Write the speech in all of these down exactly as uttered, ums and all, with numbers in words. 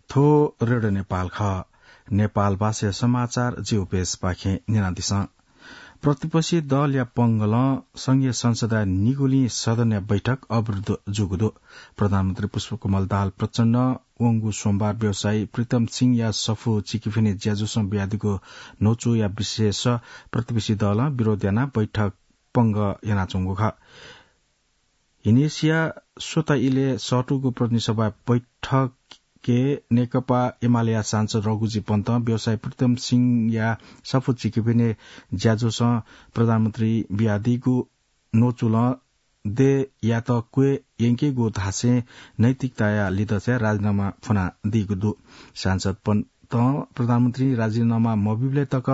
थ्व रेडियो नेपाल खः। नेपाल भाषाया समाचार जिगु पेजपाखें न्यनादिसँ। प्रतिपक्षी दलया पंगलं संघीय संसदया निगुलिं सदनया बैठक अवरुद्ध जूगु दु। प्रधानमन्त्री पुष्पकमल दाहाल प्रचण्डं वंगु सोमबार व्यवसायी प्रीतम सिंहया सफू चिकिफिने ज्याझ्वलय् बियादीगु न्वचुया विषयय् प्रतिपक्षी दलं विरोध यानाः बैठक पंग यानाच्वंगु खः। हिनेसिया स्वता इलय् सःतूगु प्रतिनिधि सभा बैठकय् नेकपा एमालेया सांसद रघुजी पन्तं व्यवसायी प्रीतम सिंहया सफू चिकिफिने ज्याझ्वलं प्रधानमन्त्रीं बियादीगु न्वचुलं देय्‌यात क्वय् यंकेगु धासें नैतिकताया लिधंसाय् राजीनामा फ्वनादीगु दु। सांसद पन्तं प्रधानमन्त्रीं राजीनामा मब्यूबलय् तक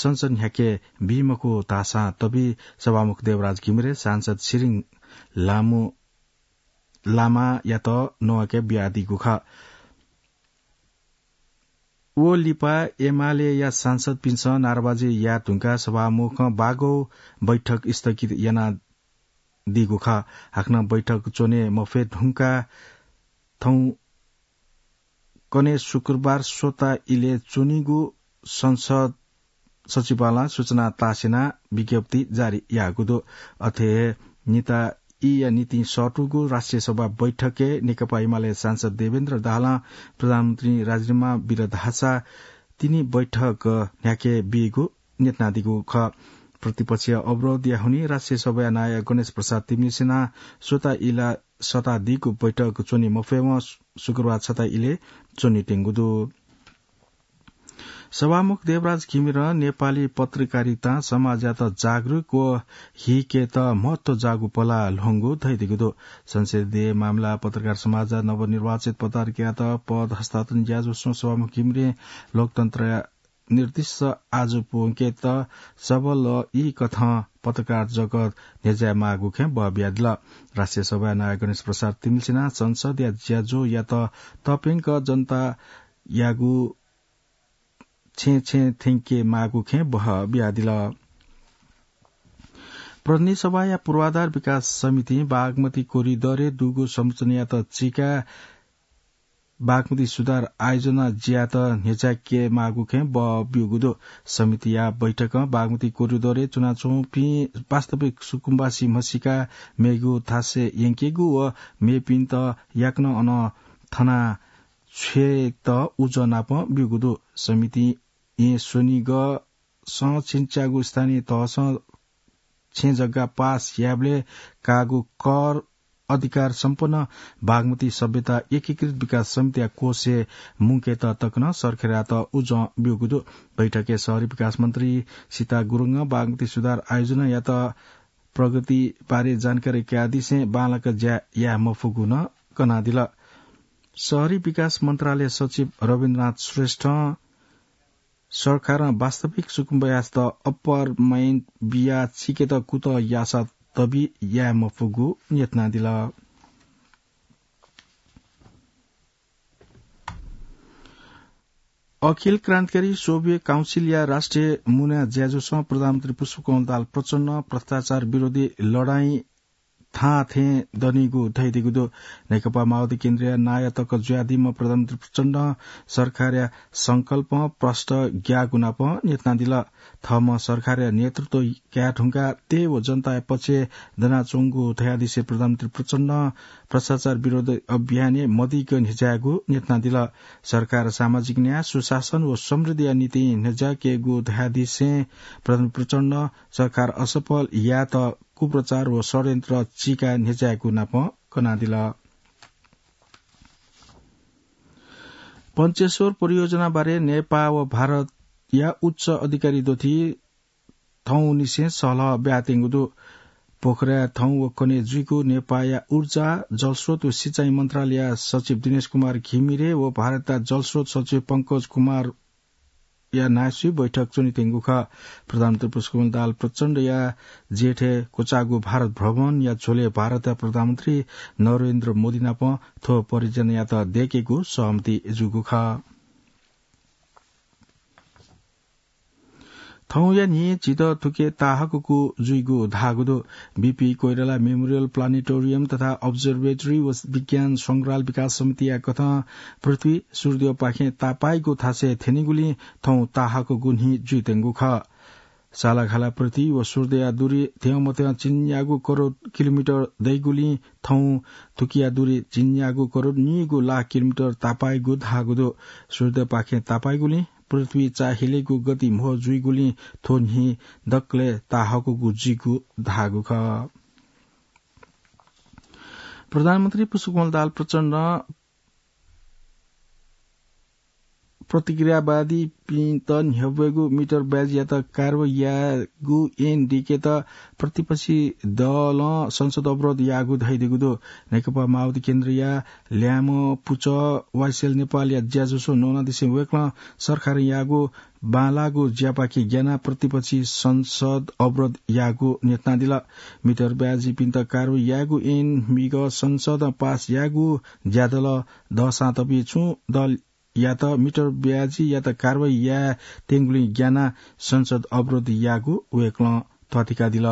संसद न्ह्याके बी मखु धाःसां तबी सभामुख देवराज घिमिरे सांसद सिरिङ लामु लामायात नवाके बियादीगु खः। व लिपा एमालेया सांसदपिन्सं नाराबाजी याये धुंकाः सभामुखं बागौ बैठक स्थगित यानादीगु खः। हाकनं बैठक च्वने मफये धुंकाः थौंकन्हय् शुक्रबार स्वता इलय् च्वनीगु संसद सचिवालयं सूचना तासेनाः विज्ञप्ति जारी याःगु दु। अथे हे निता ईया निंतिं सःतूगु राष्ट्रिय सभा बैठकय् नेकपा एमाले सांसद देवेन्द्र दाहालं प्रधानमन्त्रीं राजीनामा बिल धाःसा तिनि बैठक न्ह्याके बीगु न्यनादीगु खः। प्रतिपक्षया अवरोधया हुनिं राष्ट्रिय सभाया नायः गणेश प्रसाद तिमिल्सिनां स्वता इलय् सःतादीगु बैठक च्वने मफयेवं शुक्रबार छता इलय् च्वनेत्यंगु दु। सभामुख देवराज घिमिरं नेपाली पत्रकारितां समाजयात जागरुक व हिकेत महत्व जाःगु पलाः ल्ह्वंगु धयादीगु दु। संसदीय मामला, पत्रकार समाज, नवनिर्वाचित पत्रकारयात पद हस्तान्तरण ज्याझ्वलय् सभामुख घिमिरें लोकतन्त्रया निर्दिष्ट आजु प्वंकेत सबल ई कथं पत्रकार जगत न्ह्यज्याये माःगु खँय् बः बियादिल। राष्ट्रिय सभाया नायः गणेश प्रसाद तिमिल्सिनां संसदया ज्याझ्वःयात तप्यंक जनतायागु छेँ छेँ थ्यंके माःगु खँय् बः बियादिल। प्रतिनिधि सभाया पूर्वाधार विकास समितिं बागमती कोरिडरय् दुगु संरचनायात चीकाः बागमती सुधार आयोजना ज्यात न्ह्यज्याके माःगु खँय् बः ब्यूगु दु। समितिया बैठकं बागमती कोरिडरय् च्वनाच्वंपिं वास्तविक सुकुम्बासी म्हसीका मेगु थासय् यंकेगु व मेपिन्त याकनं अन थना छ्वयेत उजं नापं ब्यूगु दु। समितिं येँ स्वनिगः सं छिन्च्यागु स्थानीय तहसं छेँ जग्गा पास यायेबलय् काःगु कर अधिकार सम्पन्न बागमती सभ्यता एकीकृत विकास समितिया कोषय् मुंकेत तकनं सरकारयात उजं ब्यूगु दु। बैठकय् शहरी विकास मन्त्री सीता गुरुङं बागमती सुधार आयोजनायात प्रगति बारे जानकारी कयादिसें बांलाक ज्या याये मफुगु नं कनादिल। शहरी विकास मन्त्रालय सचिव रविन्द्रनाथ श्रेष्ठं सरकारं वास्तविक सुकुम्बासीत अप्पर माइन बियाः चीकेत कुतः याःसा तबि याये मफुगु न्यनादिल। अखिल क्रान्तिकारी सोभियत काउन्सिलया राष्ट्रिय मुना ज्याझ्वलं प्रधानमन्त्री पुष्पकमल दाहाल प्रचण्डं भ्रष्टाचार विरोधी लडाईं थाहां थें दनीगु धयादीगु दु। नेकपा माओवादी केन्द्रया नायः तक जुयादीम्ह प्रधानमन्त्री प्रचण्डं सरकारया संकल्पं प्रष्ट ग्याःगु नापं न्यनादिल। थःम्हं सरकारया नेतृत्व काये धुंकाः देय् व जनताया पक्षय् दनाच्वंगु धयादिसें प्रधानमन्त्री प्रचण्डं भ्रष्टाचार विरोधी अभियानय् मदिक्क न्ह्यज्यायेगु न्यनादिल। सरकार सामाजिक न्याय, सुशासन व समृद्धिया निंतिं न्ह्यज्याकेगु धयादिसें प्रधानमन्त्री प्रचण्डं सरकार असफल यायेत कुप्रचार व षड्यन्त्र चीकाः न्ह्यज्यायेगु नापं कनादिल। पञ्चेश्वर परियोजना बारे नेपाः व भारतया उच्च अधिकारी दथुइ थौंनिसें सहलह ब्याहात्यंगु दु। पोखराय् थौं व कन्हय् जुइगु नेपाःया ऊर्जा, जलस्रोत व सिँचाइ मन्त्रालयया सचिव दिनेश कुमार घिमिरे व भारतया जलस्रोत सचिव पंकज कुमार या नायःसुइ बैठक च्वनेत्यंगु खः। प्रधानमन्त्री पुष्पकमल दाहाल प्रचण्डया जेठय् क्वचाःगु भारत भ्रमणया झ्वलय् भारतया प्रधानमन्त्री नरेन्द्र मोदी नाप थ्व परियोजनायात दयेकेगु सहमति जूगु खः। थौंया न्हि झीत थुके ताहाकःगु जुइगु धाःगु दु। बीपी कोइराला मेमोरियल प्लानेटोरियम तथा अब्जर्भेटरी व विज्ञान संग्रहालय विकास समितिया कथं पृथ्वी सूर्यपाखें तापाइगु थासय् थ्यनीगुलिं थौं ताहाकःगु न्हि जुइत्यंगु खः। सालाघाला पृथ्वी व सूर्यया दूरी थ्यंमथ्यं चिन्यागु करोड किलोमिटर दइगुलिं थौं थुकिया दूरी चिन्यागु करोड नीगु लाख किलोमिटर तापाइगु धाःगु दु। सूर्यपाखें तापाइगुलिं पृथ्वी चाःहिलेगु गति म्हो जुइगुलिं थ्व न्हि दकलय् ताहाकःगु जुइगु धाःगु खः। प्रधानमन्त्री पुष्पकमल दाहाल प्रचण्डं प्रतिक्रियावादीपिन्त न्ह्यब्वयेगु मिटर ब्याजयात कारवाही यायेगु ऐन दिकेत प्रतिपक्षी दलं संसद अवरोध याःगु धयादीगु दु। नेकपा माओवादी केन्द्रया ल्याय्म्ह पुचः वाइएसएल नेपालया ज्याझ्वःसं न्वनादिसें वय्कलं सरकारं याःगु बांलाःगु ज्यापाखे ग्यानाः प्रतिपक्षी संसद अवरोध याःगु न्ह्यथनादिल। मिटर ब्याजीपिन्त कारवाही यायेगु ऐन म्हिगः संसदं पास याःगु ज्यादल दःसां तबि छुं दलयात मिटर ब्याजीयात कारवाही यायेत्यंगुलिं ग्यानाः संसद अवरोध याःगु वय्कलं थःथिकादिल।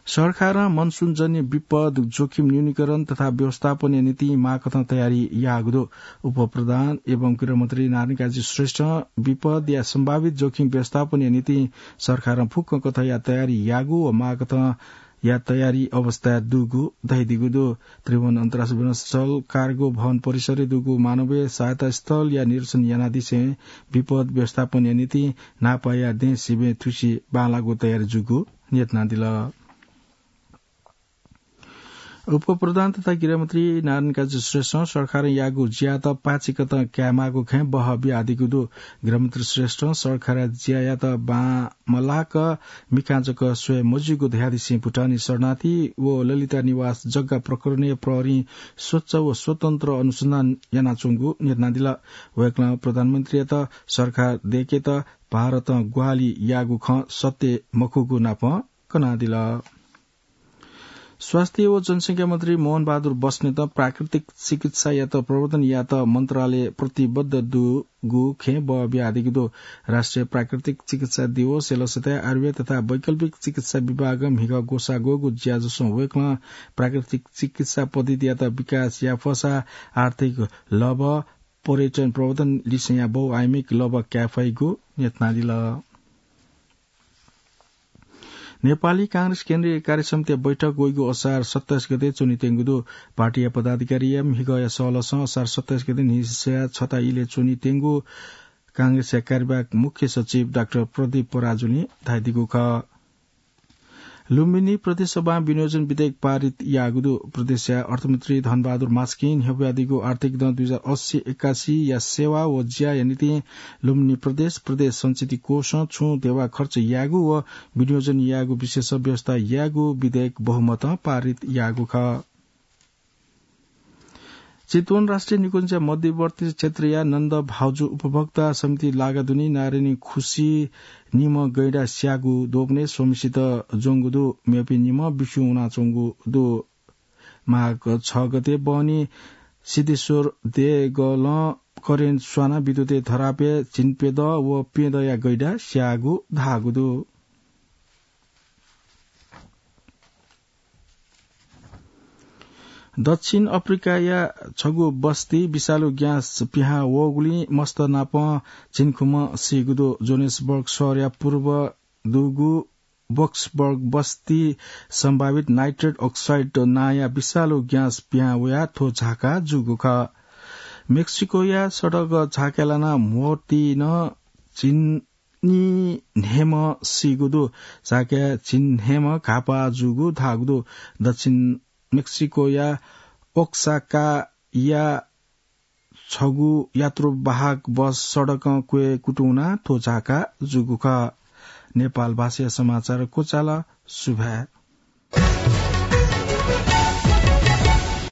सरकारं मनसुनजन्य विपद जोखिम न्यूनीकरण तथा व्यवस्थापनया निंतिं माकथं तयारी याःगु दु। उपप्रधान एवं गृहमन्त्री नारायणकाजी श्रेष्ठं विपदया सम्भावित जोखिम व्यवस्थापनया निंतिं सरकारं फुक्क कथंया तयारी याःगु व माकथंया तयारी अवस्थाय् दुगु धयादीगु दु। त्रिभुवन अन्तर्राष्ट्रिय विमानस्थल कार्गो भवन परिसरय् दुगु मानवीय सहायता स्थलया निरीक्षण यानादिसें विपद व्यवस्थापनया निंतिं न्हापाया दँय् सिबें थुसि बांलाःगु तयारी जूगु न्ह्यथनादिल। उपप्रधान तथा गृहमन्त्री नारायणकाजी श्रेष्ठं सरकारं याःगु ज्यायात पाचिकथं कायेमाःगु खँय् बहः बियादीगु दु। गृहमन्त्री श्रेष्ठं सरकारया ज्यायात बांमलाक मिखां जक स्वये मज्यूगु धयादिसें भुटानी शरणार्थी व ललिता निवास जग्गा प्रकरणय् प्रहरीं स्वच्छ व स्वतन्त्र अनुसन्धान यानाच्वंगु न्ह्यथनादिल। वय्कलं प्रधानमन्त्रीयात सरकार दय्केत भारतं ग्वाहालि याःगु खँ सत्य मखुगु नापं कनादिल। स्वास्थ्य व जनसंख्या मन्त्री मोहन बहादुर बस्नेतं प्राकृतिक चिकित्सायात प्रवर्धन यायेत मन्त्रालय प्रतिबद्ध दुगु खँय् बहः बियादीगु दु। राष्ट्रिय प्राकृतिक चिकित्सा दिवसया लसताय् आयुर्वेद तथा वैकल्पिक चिकित्सा विभागं म्हिगः ग्वसाः ग्वःगु ज्याझ्वःसं वय्कलं प्राकृतिक चिकित्सा पद्धतियात विकास याये फःसा आर्थिक लभा, पर्यटन प्रवर्धन लिसेंया बहुआयामिक लभा काये फइगु न्ह्यथनादिल। नेपाली कांग्रेस केन्द्रीय कार्यसमितिया बैठक वइगु असार सत्ताइस गते च्वनीत्यंगु दु। पार्टीया पदाधिकारीया म्हिगःया सहलसं असार सत्ताइस गते न्हिसया छता इलय् च्वनीत्यंगु कांग्रेसया कार्यवाहक मुख्य सचिव डाक्टर प्रदीप पराजुलीं धयादीगु खः। लुम्बिनी प्रदेश सभां विनियोजन विधेयक पारित याःगु दु। प्रदेशया अर्थमन्त्री धनबहादुर मास्कें न्ह्यब्वयादीगु आर्थिक दँ दुई हजार अस्सी एकासीया सेवा व ज्याया निंतिं लुम्बिनी प्रदेश, प्रदेश संचिति कोषं छुं देवा खर्च यायेगु व विनियोजन यायेगु विषयस व्यवस्था यायेगु विधेयक बहुमतं पारित याःगु खः। चितवन राष्ट्रिय निकुञ्जया मध्यवर्ती क्षेत्रया नन्द भाउजु उपभोक्ता समिति लागादुनी नारायणी खुसी निम्ह गैंडा स्याःगु द्वपनय् स्वम्हसित ज्वंगु दु। मेपिं निम्ह बिस्युं वनाच्वंगु दु। माघ छ गते बहनी सिद्धेश्वर देगलं करेन्ट स्वानाः विद्युतय् धरापय् झिंप्यदँ व प्यदँया गैंडा स्याःगु धाःगु दु। दक्षिण अफ्रिकाया छगू बस्ती विषालु ग्यास पिहां वःगुलिं मस्त नाप झिंखुम्ह सीगु दु। जोहान्सबर्ग शहरया पूर्व दुगु बक्सबर्ग बस्ती सम्भावित नाइट्रेट अक्साइड नांया विषालु ग्यास पिहां वयाः थ्व झाका जूगु खः। मेक्सिकोया सडक झाकाय् लानाः म्होतिं झिंन्हय्म्ह सीगु दु। झाकाय् झिंन्हय्म्ह घाःपाः जूगु धाःगु दु। दक्षिण मेक्सिकोया ओक्साकाया छगू यात्रुवाहक बस सडकं क्वय् कुतुं वनाः थ्व झाका जूगु खः। नेपाल भाषाया समाचार क्वचाल। सुभाय्।